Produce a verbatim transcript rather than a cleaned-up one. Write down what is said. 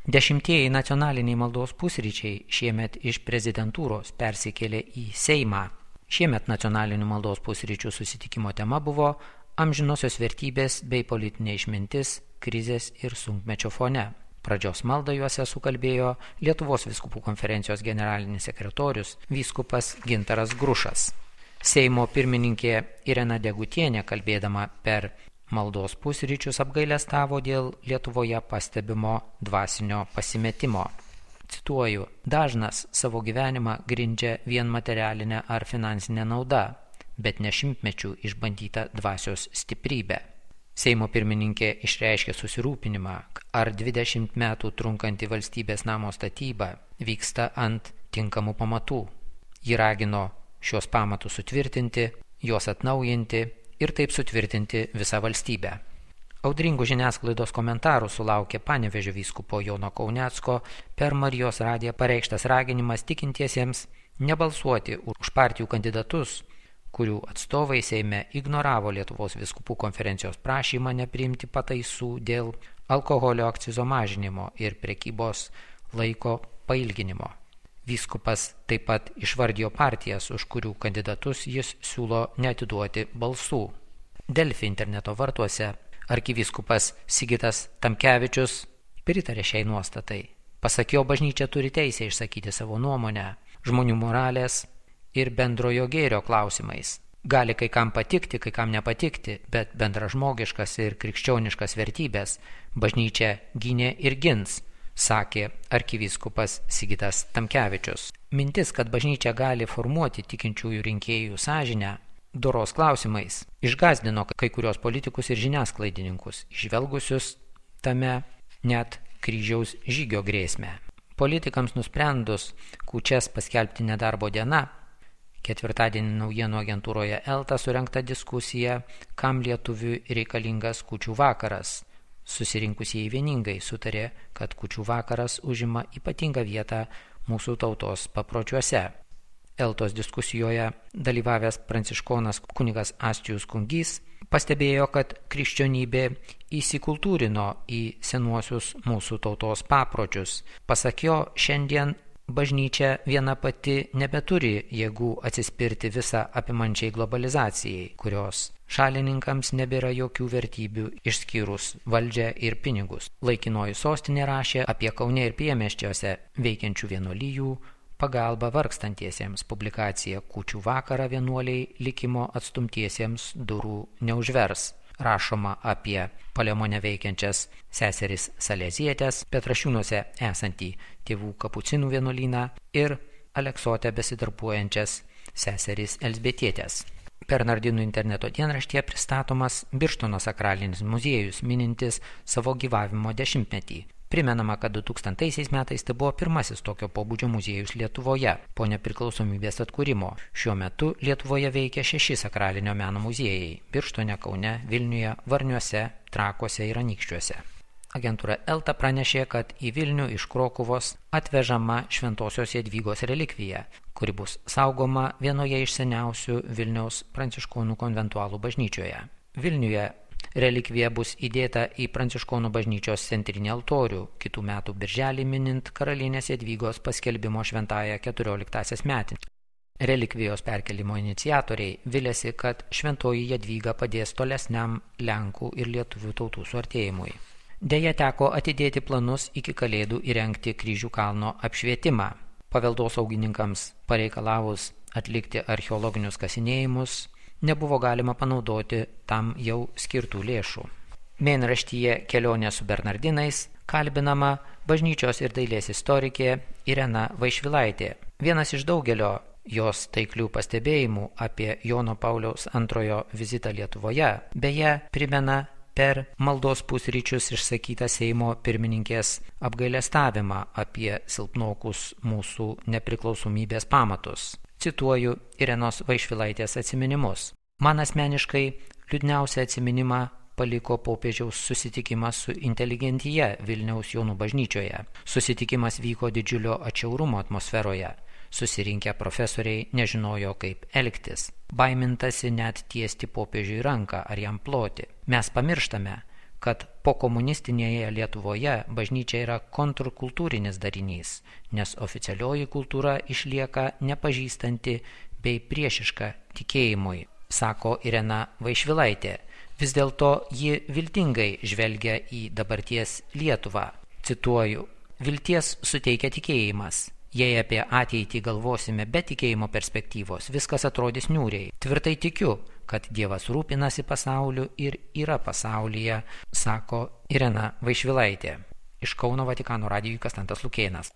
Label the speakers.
Speaker 1: Dešimtieji nacionaliniai maldos pusryčiai šiemet iš prezidentūros persikėlė į Seimą. Šiemet nacionalinių maldos pusryčių susitikimo tema buvo amžinosios vertybės bei politinė išmintis krizės ir sunkmečio fone. Pradžios maldą juose sukalbėjo Lietuvos vyskupų konferencijos generalinis sekretorius vyskupas Gintaras Grušas. Seimo pirmininkė Irena Degutienė, kalbėdama per maldos pusryčius, apgailestavo dėl Lietuvoje pastebimo dvasinio pasimetimo. Cituoju, dažnas savo gyvenimą grindžia vien materialinę ar finansinę naudą, bet ne šimtmečių išbandyta dvasios stiprybė. Seimo pirmininkė išreiškė susirūpinimą, ar dvidešimt metų trunkanti valstybės namo statyba vyksta ant tinkamų pamatų. Ji ragino šios pamatus sutvirtinti, juos atnaujinti ir taip sutvirtinti visą valstybę. Audringų žiniasklaidos komentarų sulaukė Panevėžio vyskupo Jono Kaunecko per Marijos radiją pareikštas raginimas tikintiesiems nebalsuoti už partijų kandidatus, kurių atstovai Seime ignoravo Lietuvos vyskupų konferencijos prašymą nepriimti pataisų dėl alkoholio akcizo mažinimo ir prekybos laiko pailginimo. Vyskupas taip pat išvardijo partijas, už kurių kandidatus jis siūlo neatiduoti balsų. Delfi interneto vartuose arkivyskupas Sigitas Tamkevičius pritarė šiai nuostatai. Pasak jo, bažnyčia turi teisę išsakyti savo nuomonę žmonių moralės ir bendrojo gėrio klausimais. Gali kai kam patikti, kai kam nepatikti, bet bendražmogiškas ir krikščioniškas vertybės bažnyčia gynė ir gins, sakė arkivyskupas Sigitas Tamkevičius. Mintis, kad bažnyčia gali formuoti tikinčiųjų rinkėjų sąžinę doros klausimais, išgąsdino kai kurios politikus ir žiniasklaidininkus, išvelgusius tame net kryžiaus žygio grėsmę. Politikams nusprendus kūčias paskelbti nedarbo diena, ketvirtadienį naujienų agentūroje Elta surengta diskusija, kam lietuviui reikalingas kūčių vakaras. Susirinkusieji vieningai sutarė, kad kūčių vakaras užima ypatingą vietą mūsų tautos papročiuose. Eltos diskusijoje dalyvavęs pranciškonas kunigas Astijus Kungys pastebėjo, kad krikščionybė įsikultūrino į senuosius mūsų tautos papročius. Pasak jo, šiandien bažnyčia viena pati nebeturi jėgų atsispirti visą apimančiai globalizacijai, kurios šalininkams nebėra jokių vertybių išskyrus valdžią ir pinigus. Laikinoji sostinė rašė apie Kaune ir priemiesčiuose veikiančių vienuolijų pagalbą vargstantiesiems. Publikacija Kūčių vakarą vienuoliai likimo atstumtiesiems durų neužvers. Rašoma apie Palemone veikiančias seseris Salezietės, Petrašiūnuose esantį tėvų kapucinų vienuolyną ir Aleksote besidarbuojančias seseris Elzbietietės. Bernardinų interneto dienraštyje pristatomas Birštono sakralinis muziejus, minintis savo gyvavimo dešimtmetį. Primenama, kad du tūkstantaisiais metais tai buvo pirmasis tokio pobūdžio muziejus Lietuvoje po nepriklausomybės atkūrimo. Šiuo metu Lietuvoje veikia šeši sakralinio meno muziejai – Birštone, Kaune, Vilniuje, Varniuose, Trakuose ir Anykščiuose. Agentūra Elta pranešė, kad į Vilnių iš Krokuvos atvežama Šventosios Jadvygos relikvija, kuri bus saugoma vienoje iš seniausių Vilniaus pranciškonų konventualų bažnyčioje. Vilniuje relikvija bus įdėta į pranciškonų bažnyčios centrinį altorių, kitų metų birželį minint karalienės Jadvygos paskelbimo šventąją keturioliktąsias metinę. Relikvijos perkelimo iniciatoriai vilėsi, kad šventoji Jadvyga padės tolesniam Lenkų ir lietuvių tautų suartėjimui. Deja, teko atidėti planus iki Kalėdų įrengti Kryžių kalno apšvietimą. Paveldosaugininkams pareikalavus atlikti archeologinius kasinėjimus, nebuvo galima panaudoti tam jau skirtų lėšų. Mėnraštyje Kelionė su Bernardinais kalbinama bažnyčios ir dailės istorikė Irena Vaišvilaitė. Vienas iš daugelio jos taiklių pastebėjimų apie Jono Pauliaus antrojo vizitą Lietuvoje, beje, primena per maldos pusryčius išsakytą Seimo pirmininkės apgailestavimą apie silpnokus mūsų nepriklausomybės pamatus. Cituoju Irenos Vaišvilaitės atsiminimus. Man asmeniškai liūdniausią atsiminimą paliko popiežiaus susitikimas su inteligentija Vilniaus Jonų bažnyčioje. Susitikimas vyko didžiulio atšiaurumo atmosferoje. Susirinkę profesoriai nežinojo, kaip elgtis. Baimintasi net tiesti popiežiui ranką ar jam ploti. Mes pamirštame, kad pokomunistinėje Lietuvoje bažnyčia yra kontrkultūrinis darinys, nes oficialioji kultūra išlieka nepažįstanti bei priešiška tikėjimui, sako Irena Vaišvilaitė. Vis dėlto ji viltingai žvelgia į dabarties Lietuvą. Cituoju, vilties suteikia tikėjimas. Jei apie ateitį galvosime be tikėjimo perspektyvos, viskas atrodys niūriai. Tvirtai tikiu, kad Dievas rūpinasi pasauliu ir yra pasaulyje, sako Irena Vaišvilaitė. Iš Kauno Vatikano radijui Konstantas Lukėnas.